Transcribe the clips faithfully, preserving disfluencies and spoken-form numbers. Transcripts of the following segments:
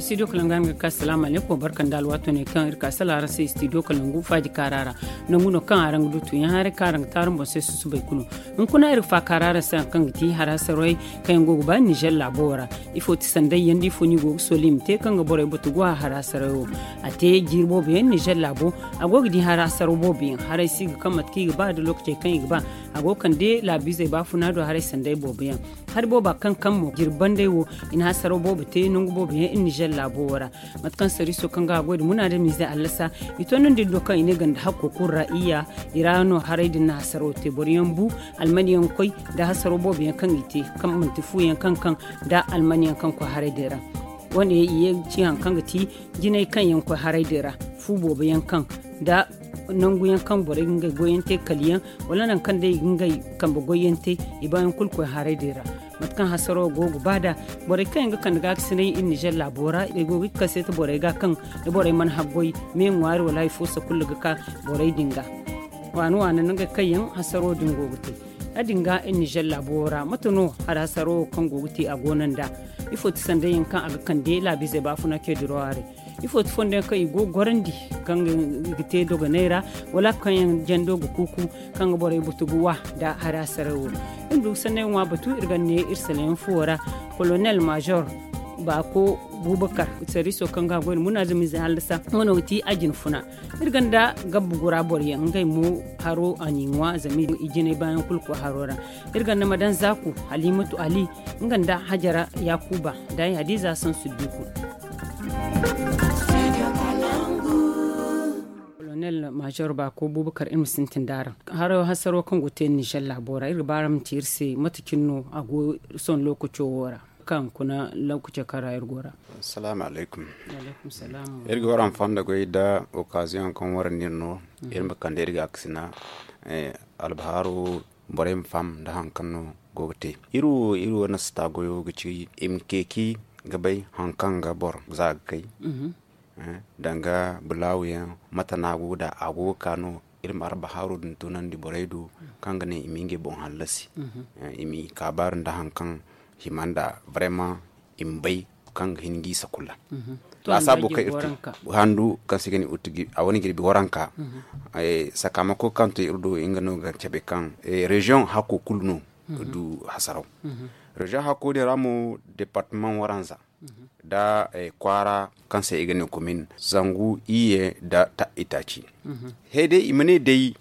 Studio kalangu araŋ ga ka salaamu alaykum barka nda alwaato ne kaŋ iri ka sala araŋ se studio kalangu faaji kaara ra. Nangu no kaŋ araŋ ga du tuuyaŋ haray kaŋ araŋ ga taarum boŋ se susubay kulu. Hunkuna iri ga faaka ra araŋ se hari kaŋ ga ti hari hasarwey kaŋ yaŋ go ga ba nizer laabo wo ra. Ifo ti sanday yaŋ da ifo no i go ga sooli i ma te kaŋ ga borey batu go a hari hasarwey wo? A te jiiri boobo yaŋ nizer laabo. A go ga di hari hasaro boobo yaŋ haray si ga kaŋ mate kaŋ i ga ba da lookacey kaŋ i ga ba. A go ga kande laabiizey baafuna do haray sanday boobo yaŋ. Hari booba kaŋ kaŋ mo jirbi banday wo, i na hasaro boobo te nangu boobo yaŋ iri nizer laabo wo ra. Mate kaŋ sariiso kaŋ ga a goy nda munaadamiizey hallasa, i toonandi iri do kaŋ i ne ganda hakko kulu ra iyya. I ra no haray din na hasaro te boro yaŋ bu, almani yaŋ koy nda hasaro boobo yaŋ kaŋ i te, kaŋ manti fu yaŋ kaŋ kaŋ nda almani yaŋ kaŋ koy haray din ra. Wo- ne i ye ga ci hari kaŋ ga ti jinay kaŋ yaŋ koy haray din ra, fu boobo yaŋ kaŋ nda nangu yaŋ kaŋ borey ga ngey goy yaŋ te kala yaŋ, wala nangu kaŋ day i ga ngey kambe goy yaŋ te, i ba yaŋ kulu koy haray din ra. Mate kaŋ hasaro go ga ba nd'a, borey kaŋ yaŋ ga kande gaakasinay iri nizer laabo ra i go ga kaseeti borey ga kaŋ da borey mana haggoy me ŋwaari wala hari fo sakulla ga ka borey din ga. Waana waana no ngey kaŋ yaŋ hasaro din go ga te. Ya- din ga iri nizer laabo ra mate no hari hasaro wo kaŋ go ga te a go no nd'a? Ifo ti sanday yaŋ kaŋ a ga kande laabiizey baafuna ce diraw haray? Ifo ti fondo yaŋ kaŋ i go ga gorandi kaŋ i ga te dogonay ra, wala kaŋ yaŋ jando ga kuuku kaŋ ga borey butu ga wa nda hari hasarey wo? Iri ma du ga sanney ŋwa batu iri ga ne iri saleyaŋ fuwo ra. Kolonel maazor baako bubakar, sariiso kaŋ ga a goy nda munaadamiizey hallasa nga no ga ti a jina funa. Iri ganda gabba gura boro yaŋ ngey mo haro a n'i ŋwa zama i jinay baayaŋ kulu koy haro ra. Iri ganda madan zaaku, halimatu ali, nga nda hajara yaakuba, da ay hadiza sansu duku. Kolonel maazor baako bubakar iri ma sintin da araŋ haro hasaro kaŋ go ga te nizer laabo ra iri ga ba araŋ ma ci iri se mate cine no a go sohõ lookaco wo ra? Kaŋ kuna lookaco kaŋ ra iri go ra. Salaamu alaykum. Iri ga waraŋ fondo goy nda okaaziyoŋ kaŋ warandi iri no. Iri ma kande iri gaakasina albahaaru borey ma faham nda hari kaŋ no go ga te. Iri wo iri wo nasta goyo ga ci i ma ceeci ga bay hari kaŋ ga boro za ga kay danga bulaawu yaŋ mate no a go ga da a go ga ka no. Iri ma albahaaru din tunandi borey do kaŋ ga ne i ma ngey boŋ hallasi. I ma i kaabaari nda hari kaŋ hima nda brema i ma bay kaŋ ga hin ga i sakulla. Laasaabu kaŋ iri te handu kaŋ se i ga ne a wane jirbi waranka. Sakaamako kaŋ to iri do nga no ga cabe kaŋ reziyoŋ hakko kulu no ga du hasaraw. Reziyoŋ hakko din ra mo departamaŋ waranza nda kwaara kaŋ se i ga ne komin zangu iyye nda itaaci. He day i ma ne day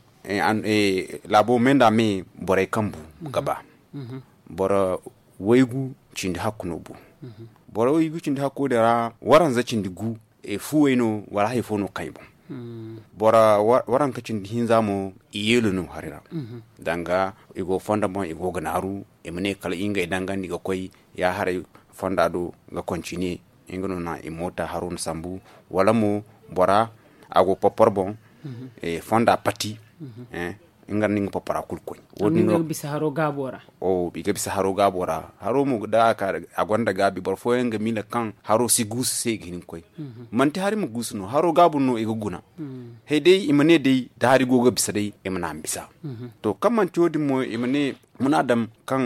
laabo me nda me borey kaŋ bu ga ba. Boro waygu cindi hakku no bu. Boro waygu cindi hakku din ra waranza cindi gu fuwey no wala hari fo no kaŋ i boŋ. Boro waranka cindi hinza mo i yeelo no hari ra. Danga i go fonda boŋ i go ga naaru i ma ne kala ngey dangandi ga koy ya haray fonda do ga kontine. Nga no na i moota haro na sambu wala mo bora a go popor boŋ fonda pati. Nga no nga popora kulu koy. Wo- din no ga bisa haro gaabo ra. I ga bisa haro gaabo ra haro mo da a gonda gaabi boro fooyaŋ ga miila kaŋ haro si guusu se i ga hin ga koy. Manti hari ma guusu no haro gaabu no i ga guna. He day i ma ne day da hari go ga bisa day i ma na a ma bisa. To kaŋ manti wo- din mo i ma ne muna daŋ kaŋ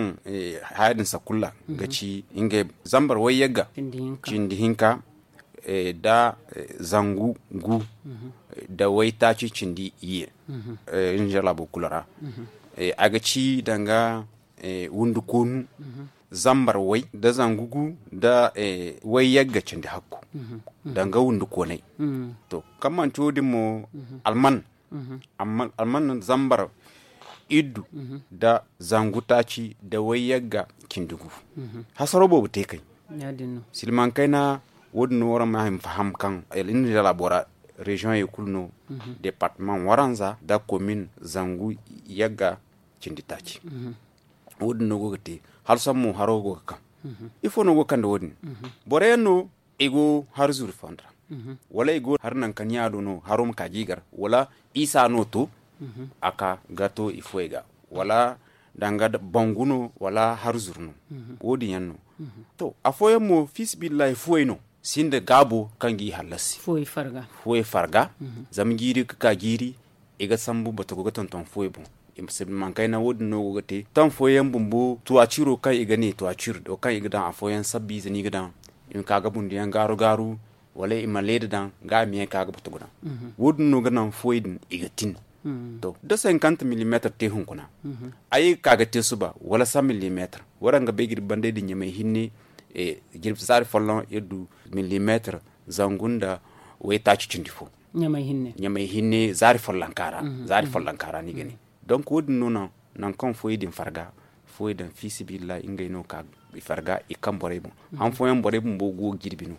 haya din sakulla ga ci ngey zambar wayyagga cindi hinka da zangu gu da waytaaci cindi iyye. Inzalaabo kulu ra a ga ci danga wundu koonu zambar way da zangu gu da wayyagga cindi hakku danga wundu koonay. To kaŋ manti wo- din mo alman alman zambar iddu da zangu taaci da wayyagga cindi gu. Hasaro boobo te kay silmaŋ kayna. Wo- din no waraŋ ma hima faham kaŋ iri na dira bora reziyoŋey kulu no departamaŋ waranza da komin zangu yagga cindi taaci. Wo- din no go ga te hala sohõ mo haro go ga kaŋ. Ifo no go ga kande wo- din? Boro yaŋ no i go hari zuru fonda ra wala i go hari nangu kaŋ ɲa do no haro ma ka ga i gar wala isa no to a ka ga to i fooyey ga wala danga bangu no wala hari zuru no. Wo- din yaŋ no. To afooyaŋ mo fiisabilillahi fuwey no sinda gaabo kaŋ ga i hallasi fuwey farga zama jiiri ga ka jiiri i ga sambu bata go ga tonton fuwey boŋ. Mankaina wo- din no go ga te taŋ fooyaŋ bumbo tuwaciro kaŋ i ga ne tuwacir do kaŋ i ga daŋ afooyaŋ sabbi ize no i ga daŋ i ma ka ga bunduyaŋ gaaru gaaru, wala i ma leeda daŋ ga a ma yaŋ ka ga batu guna. Wo- din no ga naŋ fuwey din i ga tin. To da cinquante millimetre te hunkuna, ay ga ka ga te suba wala cent millimetre, waraŋ ga bay ga iri bandey din ɲamay hinne. Jirbi zaari folloŋ iri du millimetre zangu nda waytaaci cindi fo. Ɲamay hinne zaari follonka ra. Zaari follonka ra no i ga ne. Donc wo- din no naŋ nangu kaŋ fuwey din farga, fuwey din fi sabilillahi ngey no ga ka i farga i kaŋ borey boŋ. Han fooyaŋ borey bumbo go ga jirbi no.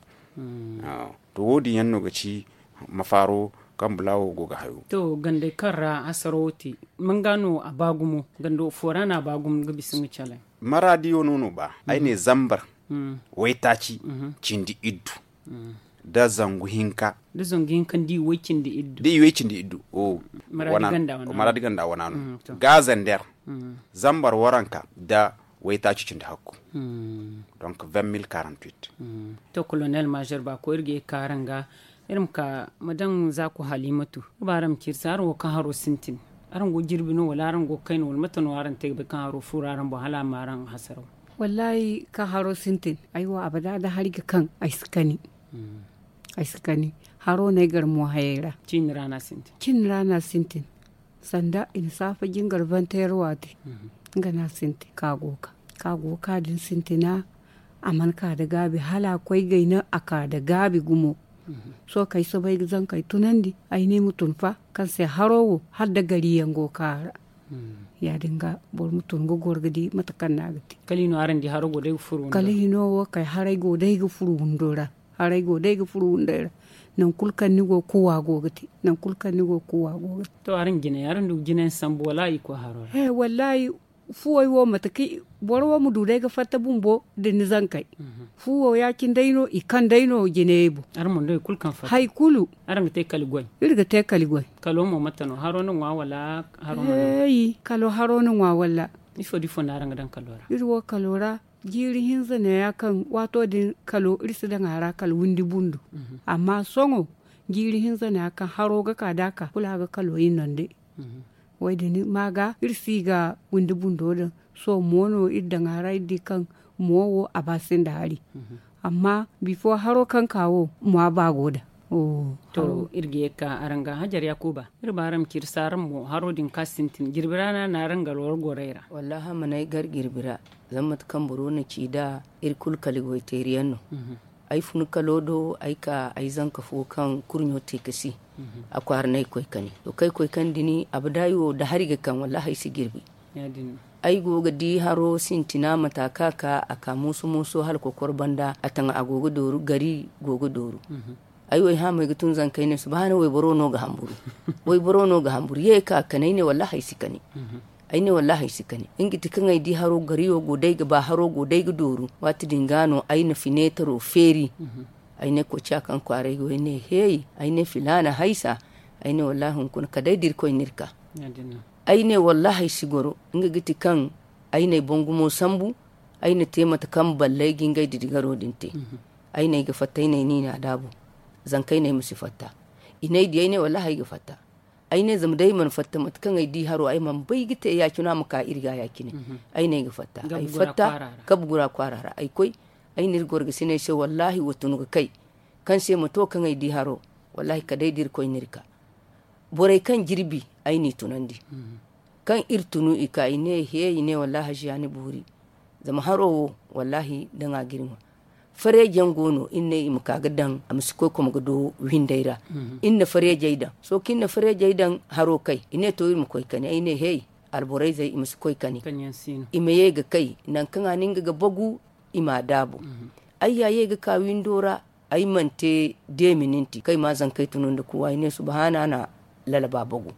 To wo- din yaŋ no ga ci mafaaro kaŋ bula wo go ga hayo. To gandey kaŋ ra hasaro wo te, manga no a ba gumo? Gando fo ra no a ba gumo ga bisa nga calay? Maraadiyo no no ba ay ne zambar waytaaci cindi iddu da zangu hinka. Da zangu hinka nda i way cindi iddu da i way cindi iddu. Maraadi ganda wana no ga zander zambar waranka da waytaaci cindi hakku. Donc vingt mille quarante huit. To colonel major ba ko iri ga ye kaara nga iri ma ka ma daŋ zaako halimatu. Ba araŋ ma ciiri se araŋ wo kaŋ haro sintin, araŋ go jirbi no wala araŋ go kayna wala mate no araŋ te ga bay kaŋ haro furo araŋ boŋ hala a ma araŋ hasaraw? Wallahi kaŋ haro sintin ay wo abada da hari ga kaŋ ay si kani. Ay si kani haro no ay gar mo hayey ra. Ciini ra no a sintin. Ciini ra no a sintin. Sanda i na saafa jingar vanteer waati nga no a sintin ka go ga ka go ga ka din sintina. A mana ka da gaabi hala a koy gayna a ka da gaabi gumo. Sohõ kaŋ ay soobay ga zankey tunandi ay ne ay ma tun fa kaŋ se haro wo hala da gari yaŋ go ga ka a ra. Ya- din ga boro ma tun ga goro ga di mate kaŋ no a ga te. Kala hino wo kay haray go day ga furo windo ra. Haray go day ga furo windey ra. Nangu kulu kaŋ ni go kuwa go ga te. Nangu kulu kaŋ ni go kuwa go ga te. To araŋ jinay araŋ du ga jinay sambu wala i koy haro ra? He wallahi. Fuwey wo mate kaŋ boro wo ma du day ga fatta bumbo da ni zankey. Fuwo ya- cine day no i kaŋ day no jinayey boŋ. Hari kulu araŋ ga te kali goy? Iri ga te kali goy. Kalo mo mate no haro ni ŋwa wala? Haro mana ŋwa? Hey kalo haro ni ŋwa wala? Ifo da ifo no araŋ ga daŋ kalo ra? Iri wo kalo ra jiiri hinza no ya kaŋ waato din kalo iri si daŋ a ra kala windi bundu. Amma sohõ jiiri hinza no ya kaŋ haro ga ka da a ka kulu a ga kalo i nonde. Wo- din ma ga iri si ga windi bundo daŋ. Sohõ mo no iri daŋ a ra iri di kaŋ mo wo a ba sinda hari. Amma bifo haro kaŋ ka wo mo a ba go da. To iri ga ye ga ka araŋ ga hajar yakuba iri ba araŋ ma ci iri se araŋ mo haro din kaŋ sintin jirbi ra no a na araŋ gar war gorey ra? Wallahi a mana ay gar jirbi ra. Zama mate kaŋ boro na ci nd'a iri kulu kala goyteeri yaŋ no. Ay fun kalo do ay ka ay zanka fo kaŋ kurɲo te ka si. A kwaara no ay koy kani to kaŋ ay koy kani din abada ay wo da hari ga kaŋ wallahi ay si jirbi. Ay go ga di haro sintina mata kaŋ a ka a ka mooso mooso hala kokoro banda a taŋ a go ga dooru gari go ga dooru. Ay wo ay hã mo ay ga tun zanka ay ne subahana wayboro no ga hamburu. Wayboro no ga hamburu ye ka kani ay ne wallahi ay si kani. Ay ne wallahi ay si kani nga ga ti kaŋ ay di haro gariyo go day ga ba haro go day ga dooru. Waati din ga no ay na fineetaro feeri. Ay ne koca kaŋ kwaaray go ay ne heey. Ay ne filaana haysa. Ay ne wallahi hunkuna kala day da irkoy no iri ka. Ay ne wallahi ay si goro nga ga ti kaŋ ay na ay boŋ gumo sambu. Ay na te mate kaŋ balley ga ngey didigaro din te. Ay ne ay ga fatta ay ne ay niina daabu. Zankey ne ay ma si fatta. I ne ay di ay ne wallahi ay ga fatta. Ay ne zama day ay mana fatta mate kaŋ ay di haro ay mana bay ga te ya- cine a ma ka iri ga ya- cine. Ay ne ay ga fatta ay fatta. Kabe gura kwaara ra ay koy. Ay na iri gorgasiney se wallahi wa tun ga kay. Kaŋ se ma to kaŋ ay di haro wallahi kala day da irkoy no iri ka. Borey kaŋ jirbi ay n'i tunandi. Kaŋ iri tunu i ka i ne he i ne wallahi haziya ni boori. Zama haro wo wallahi daŋ a ga iri ŋwa. Fareejaŋ go no iri ne i ma ka ga daŋ a ma si koy koma ga do windey ra. Iri na fareejey daŋ sohõ kaŋ iri na fareejey daŋ haro kay i ne to iri ma koy kani ay ne hey. Alborayzey i ma si koy kani. I ma ye ga kay nangu kaŋ a na nga ga bagu. I m'a daabu. Ay ya ye ga ka windo ra. Ay mana te de mininti kaŋ ay ma zankey tunu nda kuwa ay ne subahana a na lalaba bagu.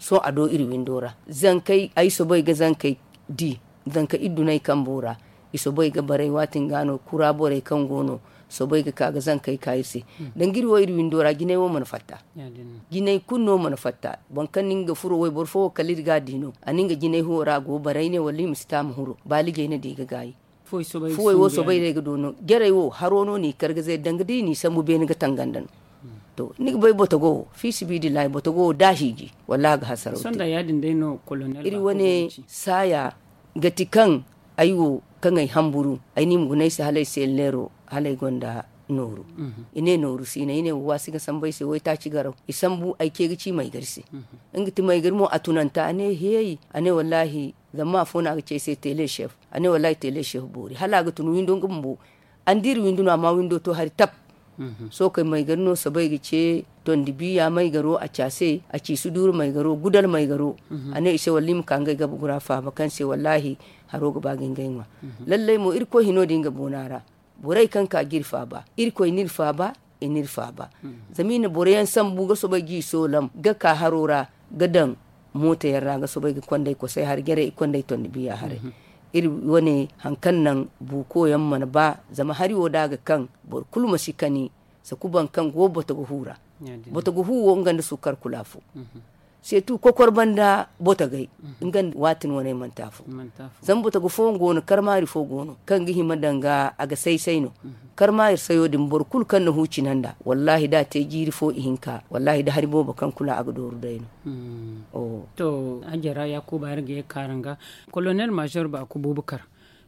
Sohõ a do iri windo ra zankey ay soobay ga zankey di. Zanka iddunay kambo ra i soobay ga baray waati nga no kura borey kaŋ go no soobay ga ka ga zankey ka iri se. Danga iri wo iri windo ra jinay wo mana fatta. Jinay kulu no mana fatta boro kaŋ na nga ga furo wayboro fo wo kala iri ga a di no a na nga jinay huwo ra a go ga baray ne wala i ma si te a ma huro baalijey na di ga gaayi. Fuwey wo soobay no ay ga do no jarey wo haro no no i kar ga zay danga da i n'i sambu beene ga tanganda no. To ni ga bay botogo wo fiisibidillahi botogo wo da a hiiji wallahi a ga hasaraw te. Iri wane saaya ga ti kaŋ ay wo kaŋ ay hamburu ay na i ma guna ay se hala ay se leero. hala ay gonda nooru. I ne nooru si i ne i ne wa si ga sambu ay se waytaaci garaw i sambu ay ce ga ci maygari se. Nga ti maygari mo a tunanta a ne heey a ne wallaahi zama afo no a ga ci ay se tele chef. A ne wallaahi tele chef boori hala a ga tun windo nga bumbo. An da iri windo no amma windo to hari tab. Sohõ kay maygari no soobay ga ce tondi biya maygaro a ci a se a ci suduuru maygaro gudal maygaro. A ne i se wallaahi i ma ka ngey gabe gura faaba kaŋ se wallaahi haro ga ba ga ngey ŋwa. Lallay mo irkoy hino din ga boona ra. Borey kaŋ ka ga iri faaba irkoy n'iri faaba i n'iri faaba. Zama i na boro yaŋ sambu ga soobay ga i soolam ga ka haro ra ga daŋ mooto yaŋ ra ga soobay ga konday kosay hari jarey i konday tondi biya haray. Iri wane haŋ kaŋ naŋ buuko yaŋ mana ba zama hari wo da a ga kaŋ boro kulu ma si kani. Sakuban kaŋ go boto ga hu ra boto ga hu wo nga nda sukkar kulu afo. Seetu kokor banda botogey nga nda waatin waney manti afo. Zama botogo fooyaŋ go no karmaari fo go no kaŋ ga hima danga a ga say say no. Karmaari sayo din boro kulu kaŋ na hu cina nda wallaahi da a te jiiri fo ihinka wallaahi da hari boobo kaŋ kulu a ga dooru day no. To hajara yaakuba iri ga ye ga kaaranga kolonel maazor ba ku buubu kar.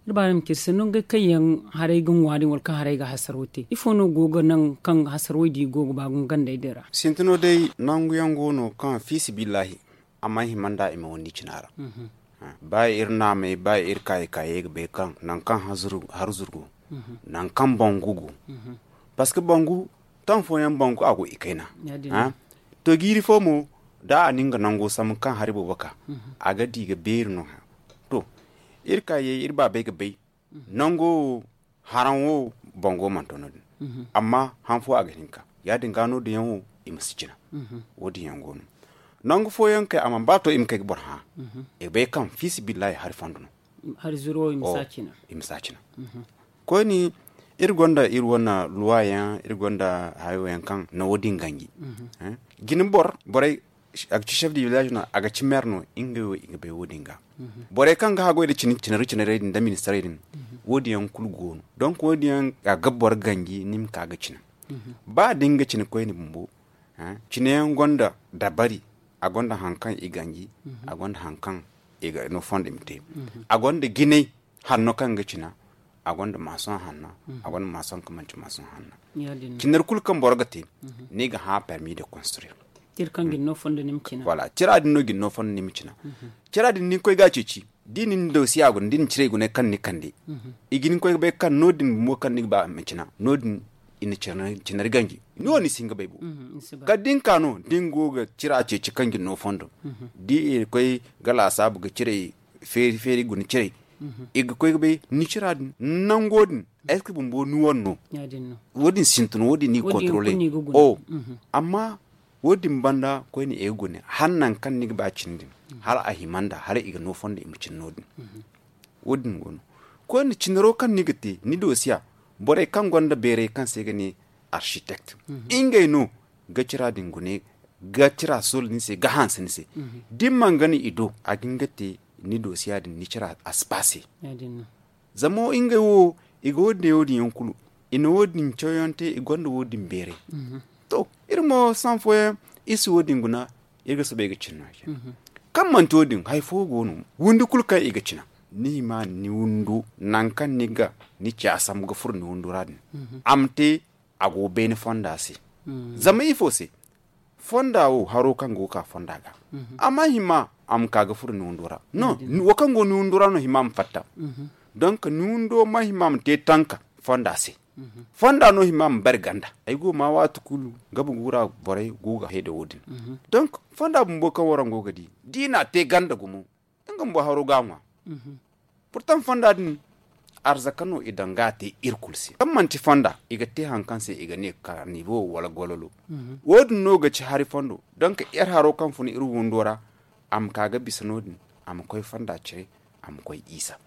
Iri ba iri ma ci iri se nangey kaŋ yaŋ haray ga ŋwa din wala kaŋ haray ga hasaro te ifo no go ga naŋ kaŋ hasaro di go ga ba gumo gandey din ra? Sintina day nangu yaŋ go no kaŋ fiisabilillahi a mana hima nda i ma wandi cina ra. Ba iri naamey ba iri kaayey kaayey ga bay kaŋ nangu kaŋ harzuru go, nangu kaŋ bangu go. Parceque bangu taŋ fooyaŋ bangu a go i kayna. To jiiri fo mo da a na nga nango sambu kaŋ hari boobo ka a ga di ga beeri no. To iri kaayey iri baabey ga bay nango wo haraŋ wo bango mana to no- din. Amma han fo a ga hin ga ka ya- din ga no- din yaŋ wo i ma si cina. Wo- din yaŋ go no nangu fooyaŋ kay a mana ba to i ma kay ga boro hã. I ga bay kaŋ fiisabilillahi hari fondo no. Hari zuro i ma si a cina. Koyne iri gonda iri wane luwa yaŋ iri gonda hayo yaŋ kaŋ na wo- din ganji. Jine boro borey a ga ci chef de village no a ga ci maire no ngey wo i ga bay wo- din ga. Borey kaŋ ga haggoy nda cinari cinarey din nda ministarey din wo- din yaŋ kulu go no. Donk wo- din yaŋ a ga boro ganji ni ma ka ga cina. Ba da ni ga cina koyne bumbo cine yaŋ gonda dabari. A gonda hari kaŋ i ganji a gonda hari kaŋ i ga no fondo i ma te. A gonda jinay hanno kaŋ ga cina. A gonda maasoŋ hanna a gonda maasoŋ kaŋ manti maasoŋ hanna. Cinari kulu kaŋ boro ga te ni ga hã permis de construire. Tira din no ga ni no fondo ni ma cina. Cira din ni koy ga a ceeci da i na ni dosiya guna da i na ciray gunay kaŋ ni kande. I ga ni koy ga bay kaŋ no- din bumbo kaŋ ni ga ba a ma cina no- din i na cinari ganji. Ni wo ni si hin ga bay bo. Kala da ni ka no da ni go ga cira ceeci kaŋ ga ni no fondo da i koy ga laasaabu ga ciray feeri feeri guna ciray. I ga koy ga bay ni cira din nango din est ce que bumbo ni wane no? Wo- din sintin wo- din ni ga controle. Amma wo- din banda koyne i ga gune hala nangu kaŋ ni ga ba cine din hala a hima nda hala i ga no fondo i ma cine no- din. Wo- din go no koyne cinaro kaŋ ni ga te ni dosiya borey kaŋ gonda beerey kaŋ se i ga ne architect ngey no ga cira din gune ga cira soola ni se ga hanse ni se. Da ni mana gana i do a ga hin ga te ni dosiya din ni cira a si ba se. Zama ngey wo i ga wo- din yaŋ kulu i na wo- din cawyaŋ te i gonda wo- din beeray. To iri mo sahã fooyaŋ iri si wo- din guna iri ga soobay ga cine no. Kaŋ manti wo- din hari fo go no windi kulu kaŋ i ga cina ni hima ni windo nangu kaŋ ni ga ni ci a sambu ga furo ni windo ra din a ma te a go beene fonda se. Zama ifo se fonda wo haro kaŋ go ga ka fonda ga a ma hima a ma ka ga furo ni windo ra no. Wo kaŋ go ni windo ra no hima ma fatta. Donk ni windo ma hima ma te tanka fonda se. Fonda no hima ma bari ganda ay go ma waati kulu ga bugu ra borey go ga hay da wo- din. Donk fonda bumbo kaŋ waraŋ go ga di da i na a te ganda gumo nga bumbo haro ga a ŋwa. Purtaŋ fonda din arzaka no i daŋ ga a te iri kulu se kaŋ manti fonda i ga te hari kaŋ se i ga ne karnibo wala gololo. Wo- din no ga ci hari fondo donk iri haro kaŋ fun iri windo ra a ma ka ga bisa no- din a ma koy fonda cire a ma koy isa.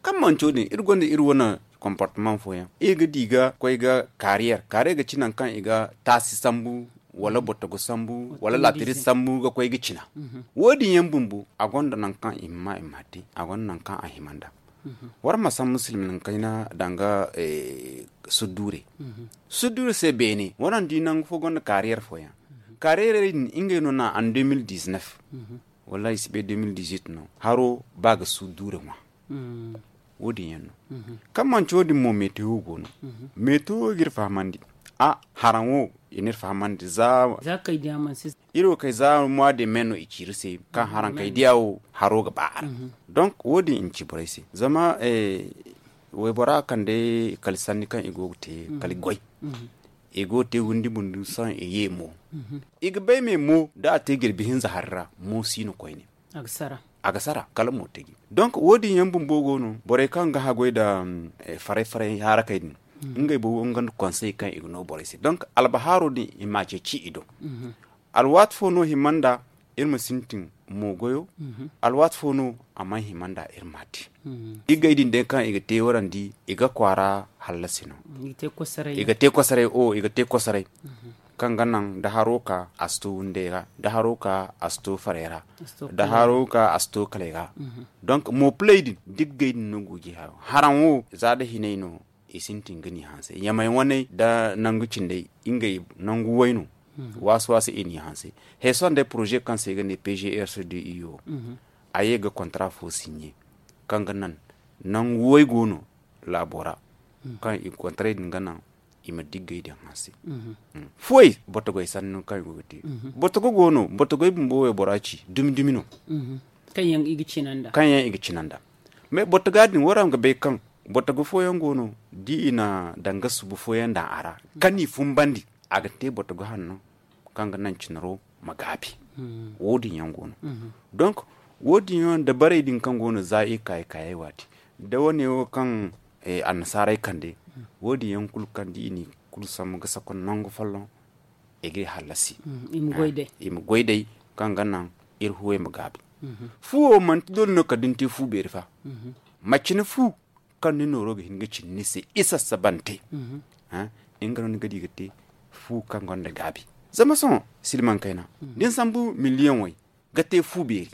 Kaŋ manti wo- din iri gonda iri wane comportement fooyaŋ iri ga di ga koy ga carrière carrière ga ci nangu kaŋ i ga taasi sambu wala botogo sambu wala laatiri sambu ga koy ga cina. Wo- din yaŋ bumbo a gonda nangu kaŋ i ma ma i ma te a gonda nangu kaŋ a hima nda. War ma sambu silmin kayna danga sudduure. Sudduure se beene waraŋ di nangu fo gonda carrière fooyaŋ. Carrière din ngey no na an deux mille dix-neuf wallaahi si bay deux mille dix-huit no haro ba ga sudduure ŋwa. Wo- din yaŋ no. Kaŋ manti wo- din mo metewo go no. Metewo ga iri fahamandi. A haraŋ wo i n'iri fahamandi za iri wo kay za mwa de men no i ciiri se kaŋ haraŋ kay diya wo haro ga ba a ra. Donk wo- din i ma ci borey se zama waybora kande kala sanni kaŋ i go ga te kala goy. I go ga te windi bundu sohõ i ye mo. I ga bay me mo da a te jirbi hinza hari ra mo si no koyne. A ga sara kala mo taji. Donk wo- din yaŋ bumbo go no borey kaŋ ga haggoy nda faray faray harakey din. Ngey bumbo nga nda konsey kaŋ i ga no borey se donk albahaaro din i m'a ceeci i do. Alwaati fo no hima nda iri ma sintin mo goyo. Alwaati fo no a mana hima nda iri m'a te. Iggey din day kaŋ i ga te warandi i ga kwaara hallasi no. I ga te kwasaray o i ga te kwasaray. Kaŋ ga naŋ da haro ka a si to wunday ra da haro ka a si to faray ra da haro ka a si to kalay ra. Donk mo pilay din diggey din no go ga i hayo haraŋ wo za da hinay no. I sintin ga ni hanse yamay waney da nangu cindey ngey nangu way no. Waasu waasu i ni hanse. Hay sohõ day poroze kaŋ se i ga ne pgrsdi i wo a ye ga kontara fo sinɲe kaŋ ga naŋ nangu way go no laabo ra. Kaŋ i ga kontaray din ga naŋ i ma diggay din hanse. Fuwey botogoy sanni no kaŋ i go ga te. Botogo go no botogoy bumbo waybora ci dumi dumi no. Kaŋ yaŋ i ga cina nda mais botoga din waraŋ ga bay kaŋ botogo fooyaŋ go no da i na danga subu fooyaŋ daŋ a ra kaŋ i fumbandi a ga te botogo hanno kaŋ ga naŋ cinaro ma gaabi. Wo- din yaŋ go no. Donk wo- din yaŋ dabarey din kaŋ go no za i kaayi kaayey waati da wane wo kaŋ annasaaray kande wo- din yaŋ kulu kaŋ da i na i kulu sambu ga sakon nangu folloŋ i ga i hallasi. I ma goy day kaŋ ga naŋ iri fuwey ma gaabi. Fuwo manti doole no kala da ni te fu beeri fa. Macine fu kaŋ ni nooro ga hin ga cindi ni se i sassabante. Nga no ni ga di ga te fu kaŋ gonda gaabi. Zama sohõ silmaŋ kayna da ni sambu miliyoŋ way ga te fu beeri.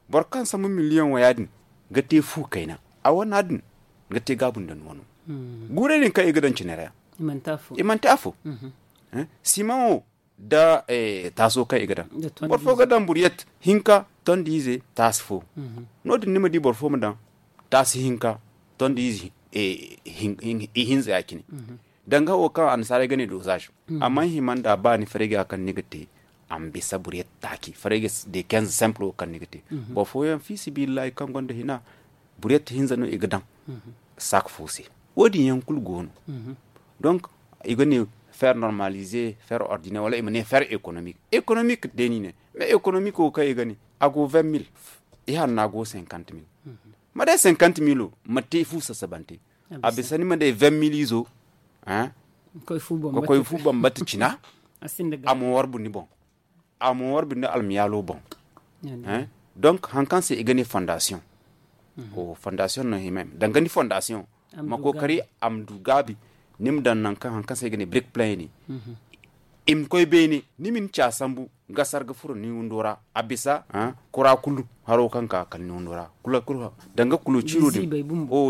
Boro kaŋ sambu miliyoŋ waya din ga te fu kayna a wana din ga te gaabu nda ni wano. Guurey din kaŋ i ga daŋ cine ra i manti afo. Simaŋo nda taaso kaŋ i ga daŋ boro fo ga daŋ buriyet hinka tondi ize taasi fo. No- din ni ma di boro fo ma daŋ taasi hinka tondi ize ihinza ya- cine. Danga wo kaŋ annasaarey ga ne dozaz. Amma hima nda ba ni farayga kaŋ ni ga te a ma bisa buriyet taaci farayga de quinze simple wo kaŋ ni ga te. Boro fooyaŋ fi sabilillahi kaŋ gonda hina buriyet hinza no i ga daŋ saak fo se. Wo- din yaŋ kulu go no. Donk i ga ne fer normalize fer ordinaire wala i ma ne fer économique économique day no i ne. Mais économique wo kaŋ i ga ne a go vingt mille i hanna go cinquante mille. Ma day cinquante mille wo ma te fu sassabante. A bisa ni ma day vingt mille izo ga koy fu bambata cina. A ma warbu ni boŋ a ma warbu ni almiyaalo boŋ. Donk hari kaŋ se i ga ne fondasiyoŋ. Fondasiyoŋ no hima danga ni fondasiyoŋ ma kookari a ma du gaabi. Ni ma daŋ nangu kaŋ hari kaŋ se i ga ne birik play ne i ma koy beene ni ma ni ca sambu ga sarga furo ni windo ra a bisa kura kulu haro kaŋ ka kala ni windo ra. Danga kulo ciiro din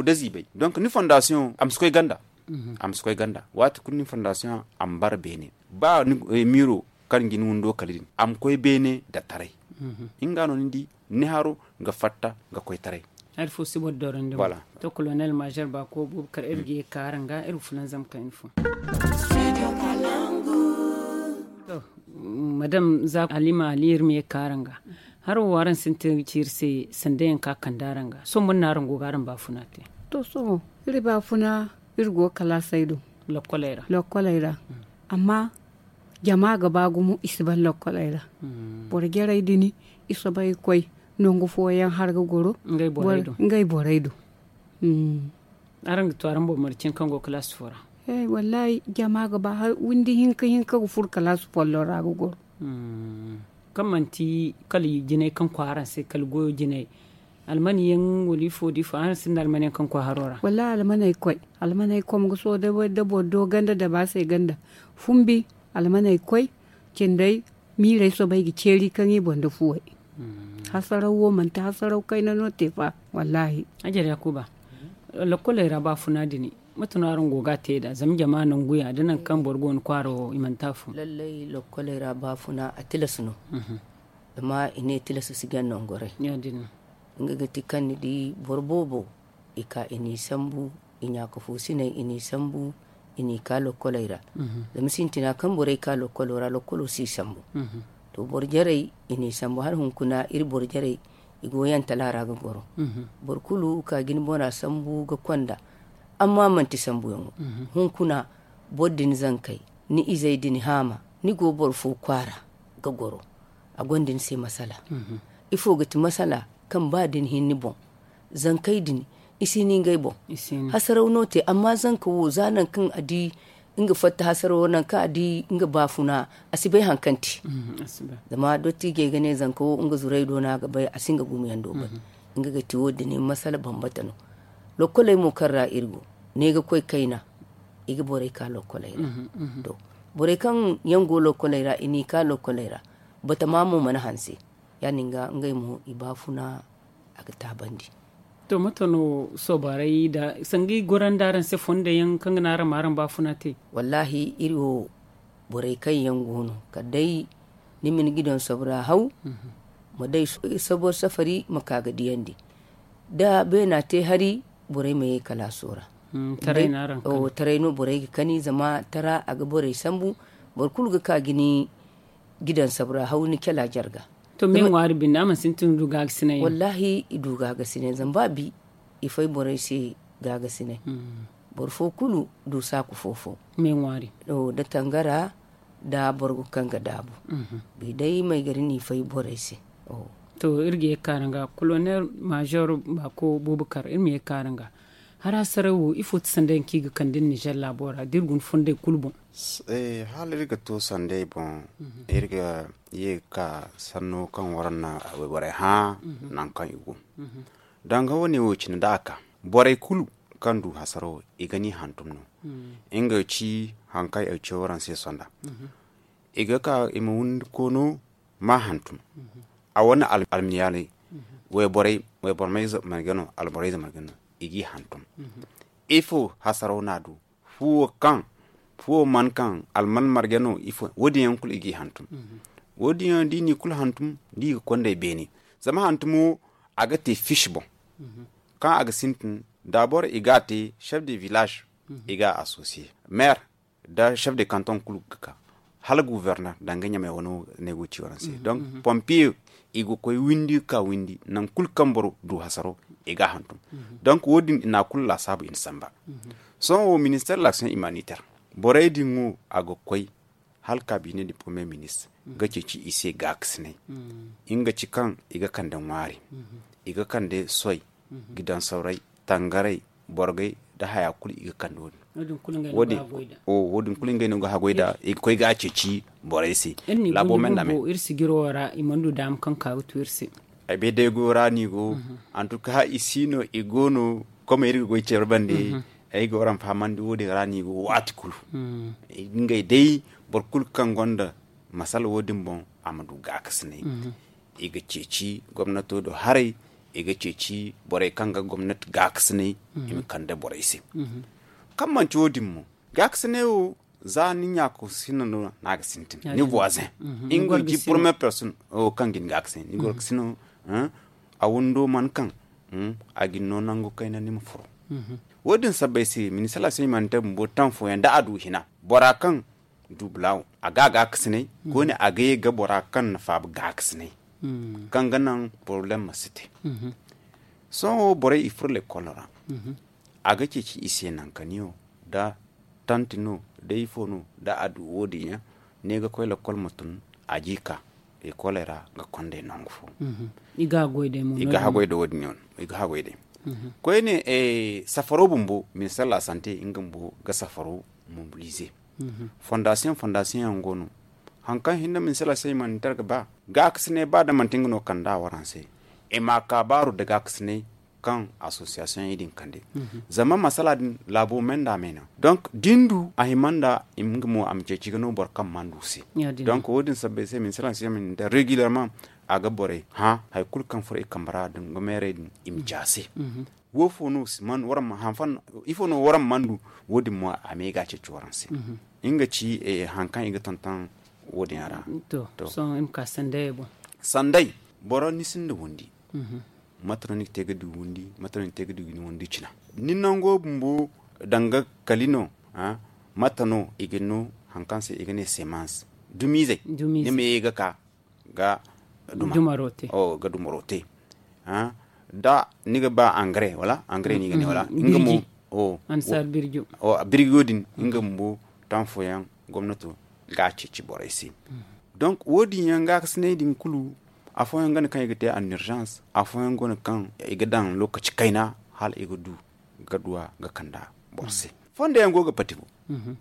da ziibay donk ni fondasiyoŋ a ma si koy ganda. A ma si koy ganda waati kulu ni fondasiyoŋ a ma bara beene ba ni miiro kaŋ ga ni windo kala din a ma koy beene da taray. Nga no ni di ni haro ga fatta ga koy taray. Hari fo si boro dorandi mo. To kolonel mazer baako boobo kar iri ga ye kaara nga iri ga fulanzam kayna fo. Madam za halima ali iri ma ye kaara nga haro wo araŋ sintin ga ci iri se sanda yaŋ ka kande araŋ ga sohõ boro no araŋ go ga araŋ baafuna te? To sohõ iri baafuna iri go ga kalaasey do lokkoley ra amma jama ga ba gumo i si ban lokkoley ra. Boro jarey din i soobay ga koy nangu fooyaŋ har ga goro ngey borey do. Araŋ ga to araŋ boro marcin kaŋ go kalaasi fo ra? Wallaahi jama ga ba har windi hinka hinka ga furo kalaasi folloŋ ra ga goro. Kaŋ manti kala jinay kaŋ koy araŋ se kala goyo jinay almani yaŋ wala ifo da ifo araŋ sinda almani yaŋ kaŋ koy haro ra? Wallaahi almaney koy almaney koy ma ga sohõ da boro do ganda da ba se ganda fumbi almaney koy cindey miirey soobay ga ceeri kaŋ i boŋ da fuwey. Hasaraw wo manti hasaraw kayna no te fa. Wallaahi. Hajar yakuba lokkoley ra baafuna din mate no araŋ go ga a te nd'a zama jama nangu ya da nangu kaŋ boro go ni kwaara wo i manti afo. Lallay lokkoley ra baafuna a tilas no. Zama i ne tilas si ganda nongoray. Nga ga ti kaŋ ni di boro boobo i ka i n'i sambu, i ɲaaka fo siney i n'i sambu, i n'i ka lokkoley ra. Zama sintina kaŋ borey ka lokkolo ra, lokkolo si sambu. To, boro jarey i n'i sambu hala hunkuna iri boro jarey, i go yantala ra ga goro. Boro kulu ka jina bona sambu ga konda, amma manti sambuyaŋo. Hunkuna boro din zankey, ni izey din haama, ni go boro fo kwaara ga goro, a gonda ni se masala. Ifo ga ti masala kaŋ ba da ni hin ni boŋ? Zankey din, i si ni ngey boŋ. Hasaraw no te, amma zanka wo za nangu kaŋ a di nga fatta hasarawo, nangu kaŋ a di nga baafuna, a si bay haŋ kaŋ te. Zama dottijey ga ne zanka wo nga zurey do no a ga bay, a si nga gumiyaŋ do bay. Nga ga ti wo- din masala bambata no. Lokkoley mo kaŋ ra iri go, ne ga koy kayna, i ga borey ka lokkoley ra. To, borey kaŋ yaŋ go lokkoley ra, i n'i ka lokkoley ra, batama mo mana hanse. Ya- din ga ngey mo i baafuna, a ga taabandi. To, mate no soobaarey da sanga i gorandi araŋ se fondo yaŋ kaŋ ga naŋ araŋ ma araŋ baafuna te? Wallaahi, iri wo, borey kaŋ yaŋ go no, kala day ni ma ni gidaŋ sabra haw, ma day sabor safari ma ka ga diyandi. Da beena te hari, borey ma ye kalaaso ra. Taray no borey ga kani, zama tara a ga borey sambu. Boro kulu ga ka ga ni gidaŋ sabra haw ni kela jarga. To, me ŋwaari binde a mana sintin du gaagasinay? Wallaahi, i du gaagasinay zama ba bi i fay borey se gaagasinay. Boro fo kulu du saaku fo-fo. Me ŋwaari. Da tangara, da borgo kaŋ ga daabu. Bi day may gari n'i fay borey se. To, iri ga ye kaara nga kolonel major, baako bubakar iri ma ye kaara nga. Hara saray wo ifo ti sanday yaŋ kaŋ i ga kande nizer laabo ra da iri guna fonday kulu boŋ? Hala iri ga to sanday boŋ, iri ga ye ga ka sanno kaŋ waraŋ na wayborey hã, nangu kaŋ i go. Danga wane wo cine da a ka, borey kulu kaŋ du hasaro, i ga ni hantum no. Nga ci haŋ kaŋ ay ci waraŋ se sonda. I ga ka i ma windi koono ma hantum. A wane almiyaalay, wayborey, waybormey marga no, alborey marga no, i g'i hantum. Ifo hasaro n'a du? Fuwo kaŋ, fuwo man kaŋ alman marga no, ifo wo- din yaŋ kulu i g'i hantum. Wo- din yaŋ da i n'i kulu hantum, da i ga konday beene. Zama hantumo, a ga te fish boŋ. Kaŋ a ga sintin, da boro i ga a te chef de village, i ga a associer maire, da chef de canton kulu ga ka, hala gouverneur danga ɲamay wano ne go ci waraŋ se. Donc pompier, i ga koy windi ga ka windi, nangu kulu kaŋ boro du hasaro, i ga a hantum. Donc wo- din i na kulu laasaabu i na samba. Sohõ wo ministère de l'action humanitaire, borey din wo, a ga koy hala cabinet du premier ministre ga ceeci i se gaakasinay. Nga ci kaŋ i ga kande ŋwaari, i ga kande soy, gidaŋ sawray, tangaray, borgay, da haya kulu i ga kande wo- din. Wo- din kulu ngey no ga haggoy nd'a, i ga koy ga a ceeci borey se. Laabo me nd'a me. Iri sijiro ra i mana du daama kaŋ ka ga tu iri se. Ay bay day go ra no i go. Antuka i si no, i go no. Kome iri ga goy care bande. Ay ga waraŋ fahamandi wo- din ra no i go waati kulu. Ngey day, boro kulu kaŋ gonda masala wo- din boŋ, a ma du gaakasinay. I ga ceeci gomnato do haray, i ga ceeci borey kaŋ ga gomnati gaakasinay, i ma kande borey se. Kaŋ manti wo- din mo, gaakasinay wo, za ni ɲaako sina no, no a ga sintin ni voisin. Nga ga ci premier personne kaŋ ga ni gaakasinay, ni goro ga sino, a windo man kaŋ, a ga ni no nangu kayna ni ma furo. Wo- din sabbay se ministère de l'action humanitaire bumbo taŋ fooyaŋ da a du hina, bora kaŋ du bulaawo, a ga a gaakasinay. Koyne a ga ye ga bora kaŋ na faaba gaakasinay, kaŋ ga naŋ problème ma si te. Sohõ borey i furo lekkolo ra, a ga ceeci i se nankaniyo, da tanti no, da ifo no, da a du wo- din yaŋ, ne ga koy lekkol ma tun, a ji ka lekoley ra ga kondey nangu fo. I ga haggoy day mo i ga haggoy day wo- din yaŋ, i ga haggoy day. Koyne, safaro bumbo ministère de la santé nga bumbo ga safaro mobiliser. Fondation fondation yaŋ go no. Haŋ kaŋ hinne ministère de la santé humanitaire ga ba, gaakasinay ba da manti nga no kand'a waraŋ se, i ma a ka baaru da gaakasinay kaŋ association yaŋ din kande. Zama masala din laabo me nd'a me naŋ. Donc da ni du a hima nd'a, nga mo a ma ceeci ga no boro kaŋ mana du se. Donc wo- din sabbay se ministère de la santé humanitaire régulièrement a ga borey hã hari kulu kaŋ furo i kambe ra da nga meerey din i ma ci a se. Wo- fo no si man waraŋ ma hanfan, ifo no waraŋ mana du? Wo- din mo a me ga a ceeci waraŋ se. Nga ci haŋ kaŋ i ga tonton wo- din yaŋ ra. To sohõ i ma ka sanday boŋ. Sanday, boro ni sinda windi. Mate no ni ga te ga du windi, mate no ni ga te ga du windi cina? Ni nango bumbo danga kali no. Mate no i ga no haŋ kaŋ se i ga ne semans dumizey. Ni ma ye ga ka ga dumaro te. Da ni ga ba angare wala angare no i ga ne wala nga mo birjo din nga bumbo taŋ fooyaŋ gomnato ga a ceeci borey se. Donk wo- din yaŋ gaakasinay din kulu afooyaŋ ganda kaŋ i ga te an urgence, afooyaŋ ganda kaŋ i ga daŋ lokaci kayna hala i ga du ga duwa ga kand'a boro se. Fondo yaŋ go ga pati mo.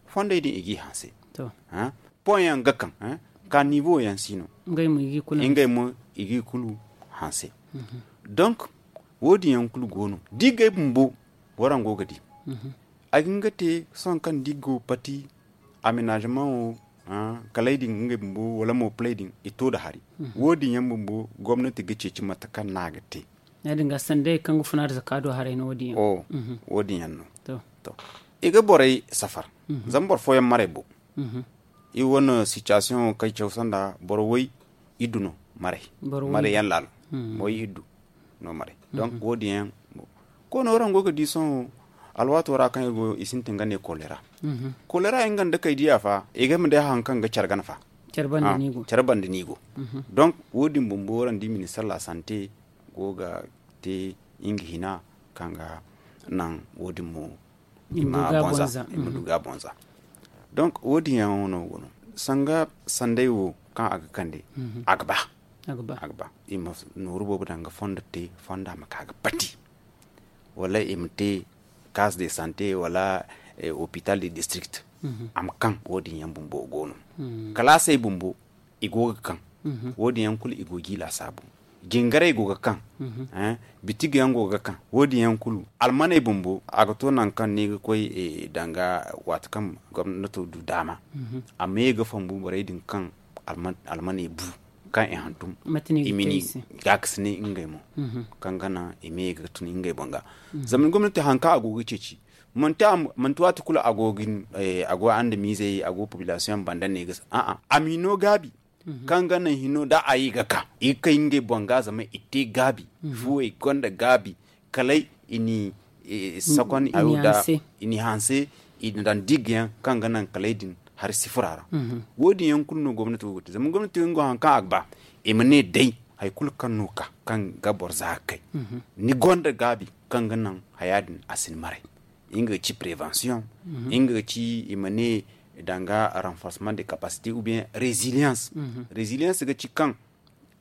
Fondey din i g'i hanse. Pon yaŋ ga kaŋ ka nivo yaŋ si no. Ngey mo i g'i kulu hanse. Donk wo- din yaŋ kulu go no da i gay bumbo waraŋ go ga di. A ga hin ga te sohõ kaŋ da i go pati amenaazemaŋo, kalay din ngey bumbo wala mo palay din i to nda hari. Wo- din yaŋ bumbo gomnati ga ceeci mate kaŋ no a ga te. Ya- din ga sanday kaŋ ga funa da zaka do haray no wo- din yaŋ. Wo- din yaŋ no. I ga borey safar. Zama boro fooyaŋ maray bo. I wane sitiyasiyoŋo kaŋ i caw sanda boro way iddu no maray. Maray yaŋ laalo. Boro way iddu no maray. Donk wo- din yaŋ koyne waraŋ go ga di sohõ alwaato ra kaŋ iri go i sintin ga ne kolera. Kolera nga nda kay diya fa i ga ma day haŋ kaŋ ga care gana fa. Care banda no i go. Donk wo- din bumbo waraŋ di ministar la sante go ga te nga hina kaŋ ga naŋ wo- din mo i ma du ga bonza. Donk wo- din yaŋo no go no sanga sanday wo kaŋ a ga kande. A ga ba i ma nooru boobo daŋ ga fondo te fonda ma ka ga pati wala i ma te kas de sante wala hopital de district. A ma kaŋ wo- din yaŋ bumbo go no kalaasey bumbo i go ga kaŋ. Wo- din yaŋ kulu i go ga i laasaabu jingaray go ga kaŋ. Bitiga yaŋ go ga kaŋ wo- din yaŋ kulu almaney bumbo a ga to nangu kaŋ no i ga koy danga waati kaŋ gomnato du daama. Amma ye ga fambu borey din kaŋ almaney bu kaŋ i hantum i ma ni gaakasinay ngey mo kaŋ ga naŋ i ma ye ga tun ngey boŋ ga. Zama ni gomnati haŋ kaŋ a go ga ceeci manti waati kulu a go andamiizey a go popilaasiyoŋ banda ne ga a ma hino gaabi kaŋ ga naŋ hino da a ye ga ka i ga kay ngey boŋ ga zama i te gaabi. Fuwey gonda gaabi kalay i n'i sakon i n'i hanse i na daŋ digga yaŋ kaŋ ga naŋ kalay din hari sifura ra. Wo- din yaŋ kulu no gomnati go ga te zama gomnati yaŋ go haŋ kaŋ a ga ba i ma ne day hari kulu kaŋ no ka kaŋ ga boro za ga kay ni gonda gaabi kaŋ ga naŋ haya din a si ni maray. Nga ga ci prevention nga ga ci i ma ne danga renforcement de capacité ou bien résilience. Résilience ga ci kaŋ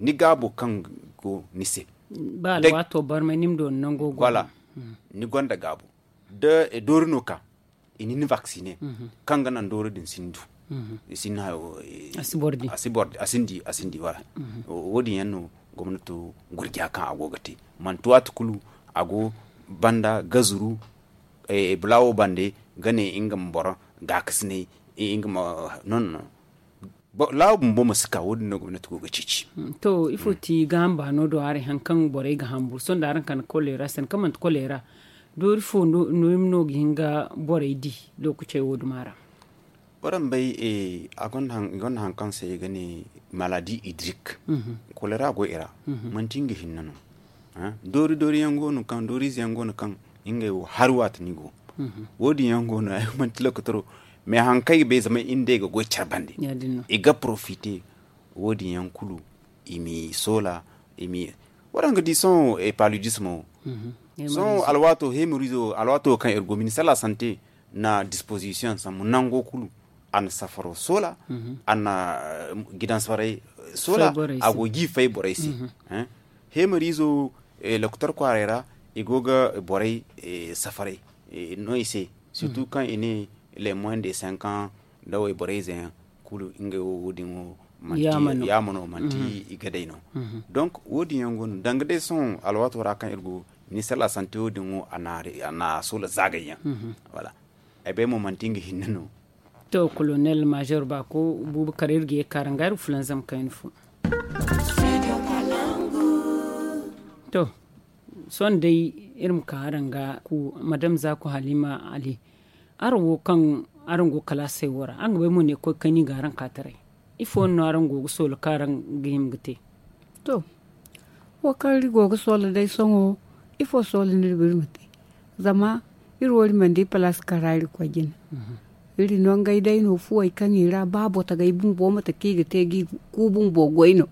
ni gaabo kaŋ go ni se ba alwaato barmay ni ma doona nango go. Ni gonda gaabo da doori no ka i na ni vaccine kaŋ ga naŋ doori din si ni du. I si ni hayo a si boro di a si ni di wala. Wo- din yaŋ no gomnato gurja kaŋ a go ga te manti waati kulu a go banda gazuru bulaawo bande ga ne nga ma boro gaakasinay nga ma non non laawa bumbo ma si ka wo- din no gomnati go ga ceeci. To ifo ti gaaham baano do haray haŋ kaŋ borey ga hambu sohõ da araŋ ka ni kolera sanda kaŋ manti kolera doori fo no i ma no ga hin ga borey di? Lookacey wo- duma ra waraŋ bay i gonda haŋ kaŋ se i ga ne maladi idrik. Kolera go i ra manti nga hinne no. Doori doori yaŋ go no kaŋ doori ize yaŋ go no kaŋ ngey wo hari waati no i go. Wo- din yaŋ go no ay manti lokotoro mais haŋ kaŋ ay ga bay zama i nda ay ga goy care bande i ga porofite. Wo- din yaŋ kulu i m'i soola i m'i waraŋ ga di sohõ paludisme wo sohõ alwaato hemorizo alwaato kaŋ iri go ministar la sante na disposition sambu nango kulu a na safaro soola a na gidan safaray soola a go ga i fay borey se. Hemorizo lokotor kwaaray ra i go ga borey safaray no i se surtout kaŋ i ne les moins de cinq ans da wayborey ze yaŋ kulu ngey wo wo- din wo manti yaama no manti i ga day no. Donc wo- din yaŋ go no danga day sohõ alwaato ra kaŋ iri go ministar la sante wo- din wo a na soola zaagay yaŋ. Ay bay mo manti nga hinne no. To kolonel major baako buubu kar iri ga ye ga kaara nga iri fulanzam kayna fo. To sohõ day iri ma ka araŋ ga ku madam zaaku halima ali araŋ wo kaŋ araŋ go kalaasey wo ra araŋ ga bay mo ne koy kayna i ga araŋ ka taray ifo no araŋ go ga soola kaŋ araŋ ga hima ga te? To Wo kaŋ iri go ga soola day sohõ, ifo soola no iri ga iri ma te? Zama iri wo iri mana di palaasi kaŋ ra iri ga koy jina. Iri no ngey day no fuwey kaŋ i ra ba botogey bumbo mate kaŋ i ga te ga i ku bumbo goy no.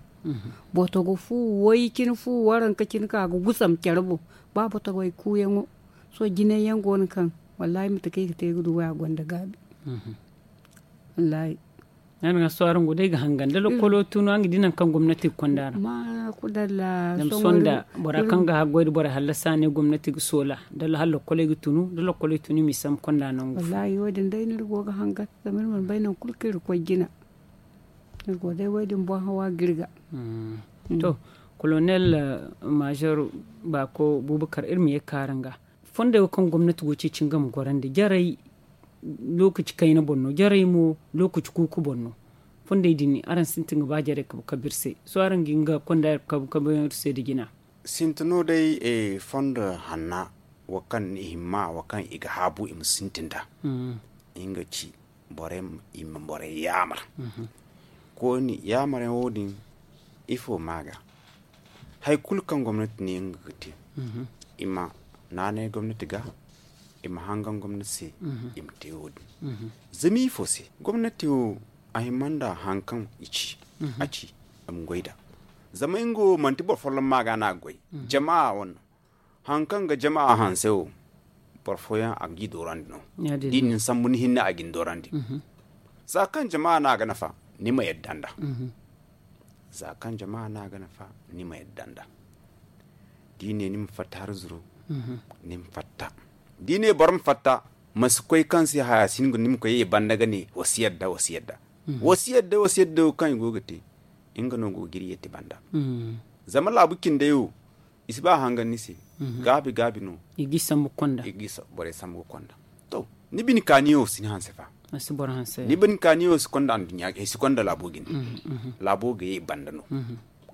Botogo fu way cine fu waranka cine kaŋ a ga gusam care boŋ. Ba botogey kuuyaŋo sohõ jinay yaŋ go no kaŋ wallaahi mate kaŋ i ga te ga du way a gonda gaabi. Wallaahi. Yaadin ga sohõ araŋ go day ga hangan da lokkolo tunu araŋ ga di nangu kaŋ gomnati ga konda ra. Zama sohõ da bora kaŋ ga haggoy da borey hallasa ne gomnati ga soola da hala lokkoley ga tunu da lokkoley tunu i ma i sambu konda nangu fo. Wallaahi wo- din day no iri go ga hangan zama iri mana bay nangu kulu kaŋ iri ga koy jina. Iri go day wo- din boŋ hawa ga iri ga. To, kolonel, major baako bubakar iri ma ye ga kaaru nga. Fondey wo kaŋ gomnati go ceeci nga ma gorandi jarey lookaci kayna boŋ no jarey mo lookaci kuuku boŋ no. Fondey din araŋ sintin ga ba jarey kabu kabu iri se sohõ araŋ ga hin ga konda kabu kabu yaŋ iri se nda jina. Sintin no day fondo hanna wo kaŋ i hima wo kaŋ i ga haabu i ma sintin nd'a. Nga ci borey i ma borey yaamar. Kooni yaamaryaŋ wo- din ifo ma a ga hari kulu kaŋ gomnati ne nga ga te i ma naanay gomnati ga i ma hangan gomnati se. I ma te wo- din zama ifo se gomnati wo a hima nda hari kaŋ i ci a ci a ma goy nd'a. Zama nga wo manti boro folloŋ ma a ga no a ga goy jama wane no. Hari kaŋ ga jama hanse wo boro fooyaŋ a ga i doorandi no. Da i na ni sambu ni hinne a ga ni doorandi. Za kaŋ jama no a ga nafa ni ma yadda nd'a. Za kaŋ jama no a ga nafa ni ma yadda nd'a. Da i ne ni ma fatta hari zuru ni ma fatta. Da i ne boro ma fatta ma si koy kaŋ se haya si ni ma koy ye banda ga ne wa si yadda wa si yadda. Wa si yadda wa si yadda wo kaŋ i go ga te nga no go ga iri yeeti banda. Zama laabu cindey wo i si ba hangan ni se. Gaabi gaabi no i ga i sambu ga konda. To ni bine kaaniyo si ni hanse fa. Ni bine kaaniyo si konda anduɲɲa ga i si konda laabo ga ne. Laabo ga ye banda no.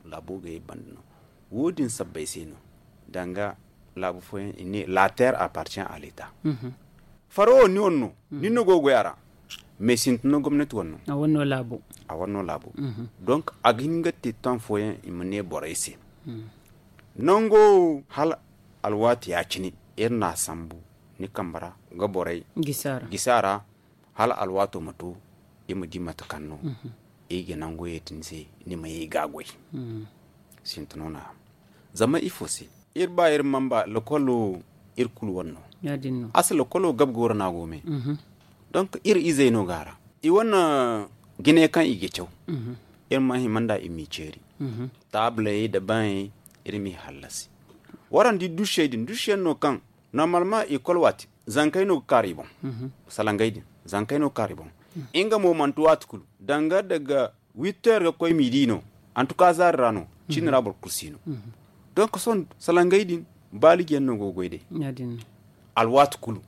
Laabo ga ye banda no. Wo- din sabbay se no danga laabu fooyaŋ i ne la terre appartient à l'état. Faro wo ni wane no ni no go ga goy a ra. Mais sintin no gomnati wane no. A wane no laabo. Donc a ga hin ga te taŋ fooyaŋ i ma ne borey se. Nango hala alwaati ya- cine iri na a sambu ni kambe ra ga borey gisi a ra hala alwaato ma to i ma di mate kaŋ no i ga nango ye din se ni ma ye i ga a goy. Sintin no no a zama ifo se iri ba iri mamba lokolo iri kulu wane no. Asa lokolo gabe goro no a go me. Donc iri izey no go a ra i wane jine kaŋ i ga caw. Iri ma hima nd'a i m'i ceeri. Taabley nda baŋey iri m'i hallasi. Waraŋ di dušey din dušey yaŋ no kaŋ normalement ikol waati zankey no ga kaaru i boŋ. Salangey din zankey no ga kaaru i boŋ. Nga mo manti waati kulu danga daga witteer ga koy midi no. Antuka zaari ra no ciini ra boro kulu si no. Donc sohõ salangey din baaliji yaŋ no go ga goy day. Alwaati kulu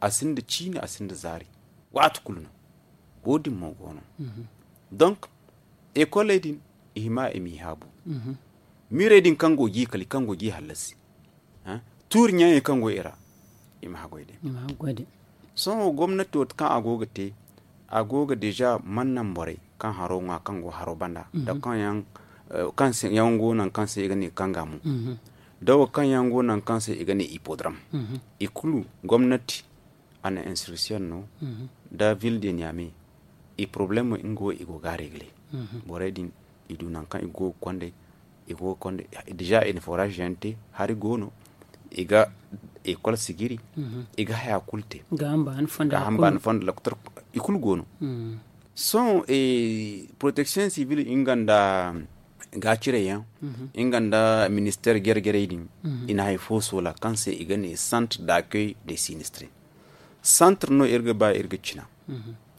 a sinda ciini a sinda zaari. Waati kulu no wo- din mo go no. Donc ekoley din i hima i m'i haabu. Miirey din kaŋ go ga i kali kaŋ go ga i hallasi tuuri ɲaŋey kaŋ go i ra i ma haggoy day. Sohõ gomnati wo kaŋ a go ga te a go ga deja mana naŋ borey kaŋ haro ŋwa kaŋ go haro banda nda kaŋ yaŋ go naŋ kaŋ se i ga ne kanga mo. Da wo kaŋ yaŋ go naŋ kaŋ se i ga ne ipodram i kulu gomnati a na instruction no da ville de niamey. I problème nga wo i go ga a regle. Borey din i du naŋ kaŋ i go ga konday i go ga konday deja i na forage yaŋ te hari go no. I ga ekol sigiri i ga haya kulu te ga hamba ni fondo loktor i kulu go no. Sohõ protection civile nga nda gaacirey yaŋ nga nda ministère jare jarey din i na hari fo soola kaŋ se i ga ne centre d'accueil des sinistrés. Centre no iri ga ba iri ga cina